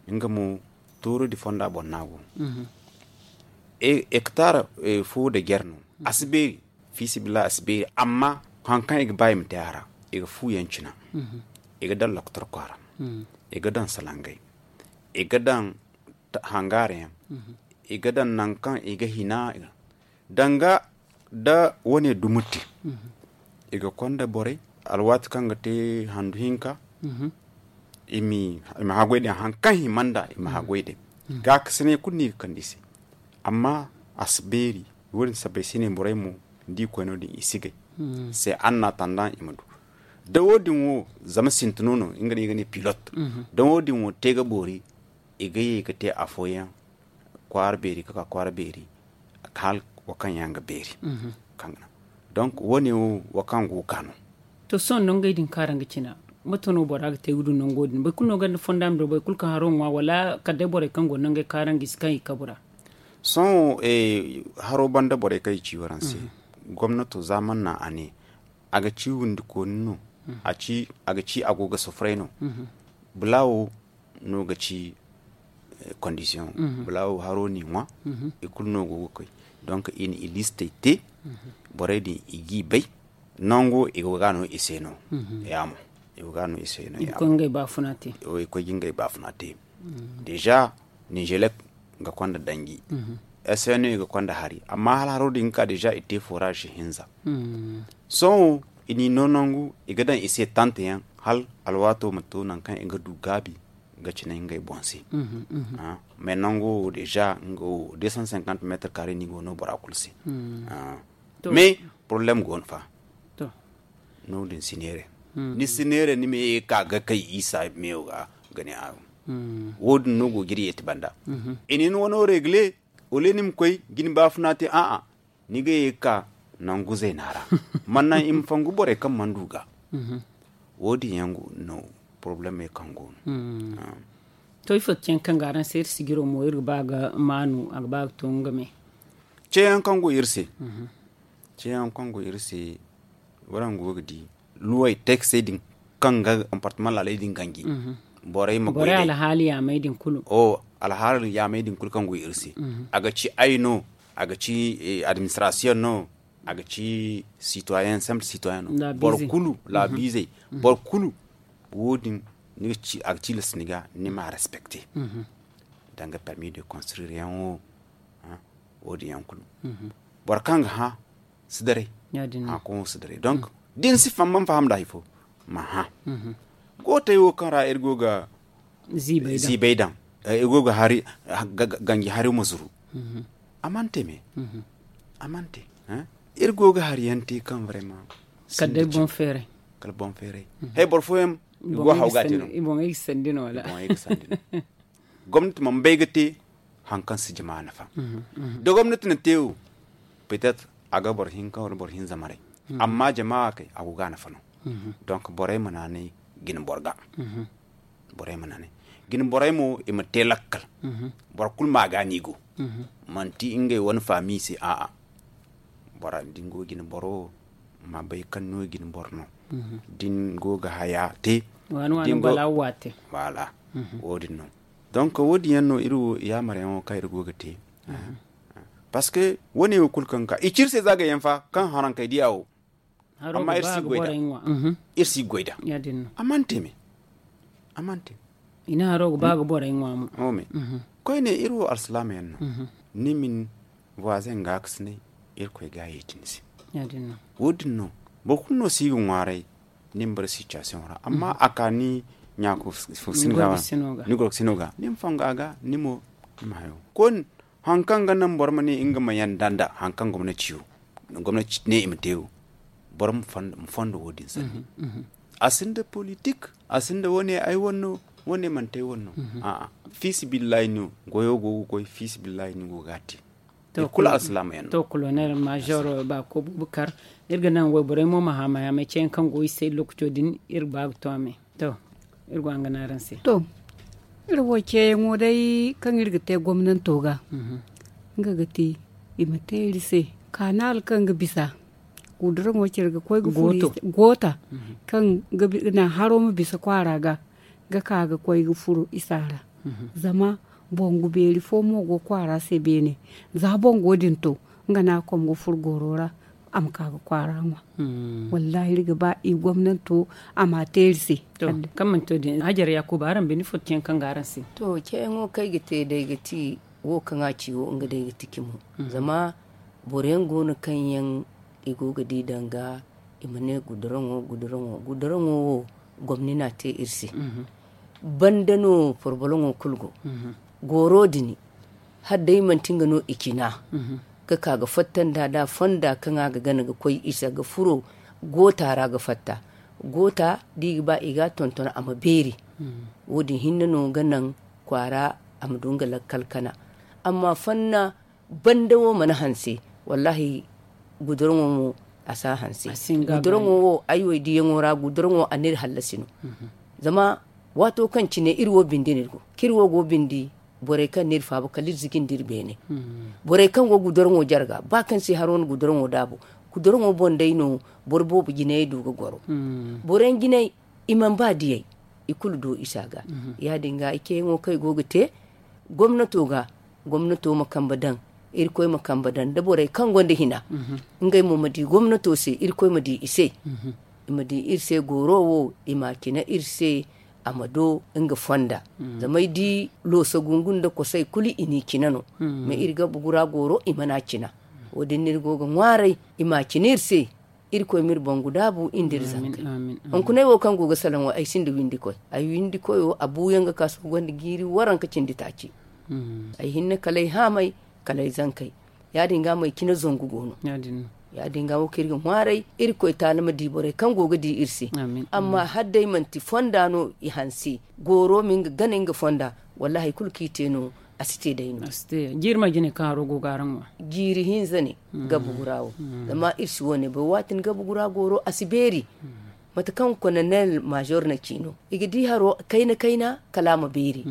nga mo toorodi fonda boŋ no a go. Hectare fo nda jare no a si beeri fiisabilillahi a si beeri amma hari kaŋ i ga ba i ma te a ra i ga fu yaŋ cina. I ga daŋ lokotorko a ra i ga daŋ salangay i ga daŋ hangaari yaŋ i ga daŋ nangu kaŋ i ga hina danga nda wane dumi te. I ga konda borey alwaati kaŋ ga te handu hinka i ma haggoy day hari kaŋ hima nd'a i ma haggoy day. Gaakasinay kulu no i ga kande i se amma a si beeri. Wo- din sabbay se no borey mo Ni di koyno din i si gay. Se an na tandan i ma du. Da wo- din wo, zama sintino no nga no i ga ne pilot. Da wo- din wo te ga boori, i ga ye ga te afooyaŋ, kwaara beeri ga ka kwaara beeri, hala wo kaŋ yaŋ ga beeri. Donc wo- ne wo wo kaŋ go ga no. To sohõ nangey din kaŋ araŋ ga cina, mate no bora ga te ga du nango din? Boro kulu no gonda fonda ma du boro kulu kaŋ haro ŋwa, wala kala day borey kaŋ go nangey kaŋ araŋ ga i si kaŋ i kabu ra? Sohõ haro banda borey kaŋ i ci waraŋ se, gomnato za man na a ne, a ga ci windikooni no, a ga ci a go ga sufuray no. Bula wo no ga ci kondisiyoŋ. Bula wo haro n'i ŋwa, i kulu no go ga koy. Donc i na i listey te, borey din i g'i bay. Nango i go ga no i se no. Yaamo, i go ga no i se no. I koy ga ngey baafuna te. Deja nizelek ga konda danji, sno ga konda hari, amma hala haro din ga ka deja i te forage hinza. Sohõ i n'i no nangu, i ga daŋ i se tante yaŋ, hala alwaato ma to nangu kaŋ i ga du gaabi ga cine ngey boŋ se. Mais nango wo deja nga wo deux cent cinquante mètres carré ni go no bora kulu se. Mais problème go no fa. No- din si neere. Ni si neere ni ma ye ga ka ga kay isa meyo ga ga ne a. Wo- din no go ga iri yeeti banda. I na ni wano regle, wala ni ma koy ga ni baafuna te a'a, ni ga ye ga ka nangu zayna ra. Man naŋ i ma fangu borey kaŋ mana du ga. Wo- din yaŋ no problème kaŋ go no. To ifo ga caŋ kaŋ ga araŋ se iri si jiro mo iri ga ba ga maanu a ga ba ga to nga me. Ceeyaŋ kaŋ go iri se. Ceeyaŋ kaŋ go iri se, waraŋ go ga di luwey teksey din kaŋ ga comportement laaley din ganji. Borey ma goy day. Alhaali yaamey din kulu. Alhaali yaamey din kulu kaŋ go iri se, a ga ci ay no, a ga ci administration no, a ga ci citoyen, simple citoyen no, boro kulu laabiizey, boro kulu. Wo- din a ga tilas ni ga ni ma respecte, danga permis de construire yaŋ wo. Wo- din yaŋ kulu boro kaŋ ga hã si daray. Hã koŋo si daray. Donc da ni si faham man faham da hari fo, ma hã. Gootey wo kaŋ ra iri go ga ziibay daŋ, iri go ga hari ganji hari ma zuru. A mana te me. A mana te. Iri go ga hari yaŋ te kaŋ vraiment kala day boŋ feeray. Kala boŋ feeray. Hay boro fooyaŋ i go haw ga te no. I boŋey ga sandi no wala? Gomnati mana bay ga te hari kaŋ si jama nafa. Da gomnati na te wo, peut-être a ga boro hinka wala boro hinza maray. Amma jama kay a go ga nafa no. Donc borey ma naanay gina boro ga. Borey ma naanay gina borey mo i ma te lakkal. Boro kulu ma ga no i go. Manti ngey wane faami se a'a. Bora da ni go ga gina boro wo, ma bay kaŋ no ga gina boro no. Da ni go ga haya te, waani waani bala waate. Voilà. Wo- din no. Donc wo- din yaŋ no iri wo yaamar yaŋo kaŋ iri go ga te. Parce que wo- ne wo kulu kaŋ ga ka i ci iri se za ga yaŋ fa kaŋ haraŋ kay diya wo. Amma iri si goy da. Iri si goy da. A mana te me. A mana te. I na haro ga ba ga borey ŋwa mo. Koyne iri wo alsilaama yaŋ no. Ni ma ni voisin ga ka si ne, irkoy ga yeeti ni se. Wo- din no. Boro kulu no si ga ŋwaaray. Ni ma bara situation ra amma a ka ni ɲaako fo si ni ga ni gorko sino ga ni ma fongo a ga ni mo. Ni ma hayo koyne. Hari kaŋ ga naŋ boro ma ne nga ma yanda nda hari kaŋ gomnati wo, gomnati ne i ma te wo, boro ma fondo wo- din sanni. A sinda politik, a sinda wane ay wanno, wane manti ay wanno. A'a, fiisibillahi no goyo go ga goy, fiisibillahi no go ga a te. Kulu alsilaama yaŋ no. To kolonel major baako bubakar, iri ga naŋ wayborey mo ma haamay haamay ceeyaŋ kaŋ go i se lokaco din iri ga ba ga to a me. To, iri go a ga ne araŋ se. To, iri wo ceeyaŋo day kaŋ iri ga te gomnanto ga, nga ga ti i ma te iri se kaanaal kaŋ ga bisa. Guduraŋo cire ga koy ga furo goota kaŋ ga naŋ haro ma bisa kwaara ga, ga ka ga koy ga furo isa ra. Zama bongu beeri fo mo go kwaara se beene. Za bongo din to, nga no a kom ga furo gooro ra, a ma ka ga kwaara ŋwa. Wallahi iri ga ba i gomnanto a ma a te iri se. Kaŋ manti wo- din hajar yaakuba araŋ binde fo ceeyaŋ kaŋ ga araŋ se? To ceeyaŋo kaŋ ay ga te day ga ti wo kaŋ a ci wo nga day ga ti cimo. Zama boro yaŋ go no kaŋ yaŋ i go ga di danga i ma ne guduraŋo guduraŋo guduraŋo wo gomni no a te iri se. Banda no forboloŋo kulu go. Gooro din hala day manti nga no i cina. Ga ka ga fatta nda da fonda kaŋ a ga gana ga koy isa ga furo goota ra ga fatta. Goota da i ga ba i ga a tonton a ma beeri. Wo- din hinne no ga naŋ kwaara a ma du nga lakkal kana. Amma fanna banda wo mana hanse, wallahi guduraŋo mo a si a hanse. Guduraŋo wo ay wo ay diyaŋo ra guduraŋo a n'iri hallasi no. Zama waato kaŋ cine iri wo bindi no iri go kaŋ iri wo go bindi, borey kaŋ n'iri faaba kala iri ziji nda iri beene. Borey kaŋ go guduraŋo jarga ba kaŋ se haro no guduraŋo daabu. Guduraŋo boŋ day no boro boobo jinayey du ga goro. Boroyaŋ jinay i mana ba diyey i kulu do isa ga. Ya- din ga i ceeyaŋo kaŋ i go ga te gomnato ga, gomnato ma kambe daŋ, irkoy ma kambe daŋ da borey kaŋ gonda hina. Ngey mo ma di gomnato se, irkoy ma di i se. I ma di iri se gooro wo, i ma a cina iri se, a ma do nga fonda. Zama ay di loosa gungu nda kosay kulu i n'i cina no. Ma iri gabu gura gooro i mana a cina. Wo- din no iri go ga ŋwaaray i ma a cina iri se. Irkoy m'iri bangu daabu iri nda iri zankey. Hunkunay wo kaŋ go ga salaŋ wo ay sinda windikoy. Ay windikoyo a buuyaŋ ga ka sohõ gonda jiiri waranka cindi taaci. Ay hinne kala ay haamay, kala ay zankey. Ya- din ga mo ay cine zangu go no. Ya- din ga wo kaŋ iri ga ŋwaaray, irkoy taala ma di borey kaŋ go ga di iri se. Amma hala day manti fonda no i hanse, gooro ma nga gana nga fonda, wallaahi hari kulu kaŋ i te no, a si te day no. Jiiri ma jine kaŋ haro go ga araŋ ŋwa? Jiiri hinza ne. Gabu gura wo. Zama iri si wo- ne bay waati ni gabu gura gooro a si beeri. Mate kaŋ kononel maazor na ci no, i ga di haro kayna kayna kala a ma beeri.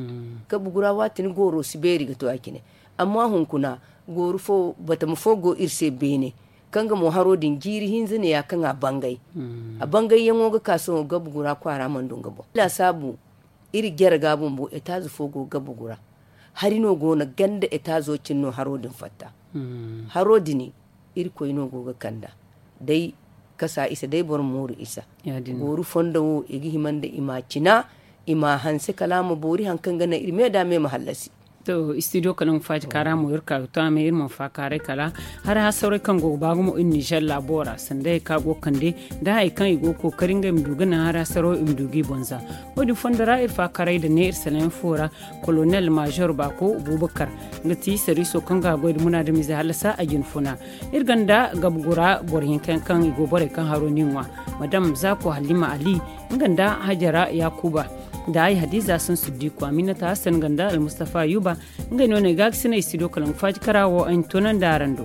Gabu gura waati ni gooro si beeri ga to a cine. Amma hunkuna, gooru fo batama fo go iri se beene, kaŋ ga mo haro din jiiri hinza ne ya kaŋ a bangay. A bangayyaŋo ga ka sohõ gabu gura kwaara mana du nga boŋ. Laasaabu, iri jare ga bumbo etaaze fo go gabu gura. Hari no go no ganda etaazo cine no haro din fatta. Haro din, irkoy no go ga kanda. Day kasa isa day boro mooru isa. Gooru fondo wo i ga hima nda i ma a cina, i ma a hanse kala a ma boori hari kaŋ ga naŋ iri me da me ma hallasi. To, istidiyo kala nga faaji kaara mo iri ka ga to a me iri ma faakaaray kala hari hasarey kaŋ go ga ba gumo iri nizer laabo ra sanda hari kaŋ a go ga kande, da hari kaŋ i go ga kookari ngey ma du ga naŋ hari hasaro i ma du ga i boŋ za. Wo- din fondo ra iri faakaaray nda ne iri sanayaŋ fo ra, kolonel maazor baako, bubakar, nga ti sariiso kaŋ ga goy nda munaadamize hallasa a jine funa. Iri gonda gabu gura boro hinka yaŋ kaŋ i go borey kaŋ haro n'i ŋwa, madam zaako halima ali, nga nda hajara yaakuba, nda ay hadiza sansuddiko aminata hassan nga nda almustafa ayuba. Ngey no no ay ga ga sinay studio kala nga faaji kara wo ay na toonandi araŋ do.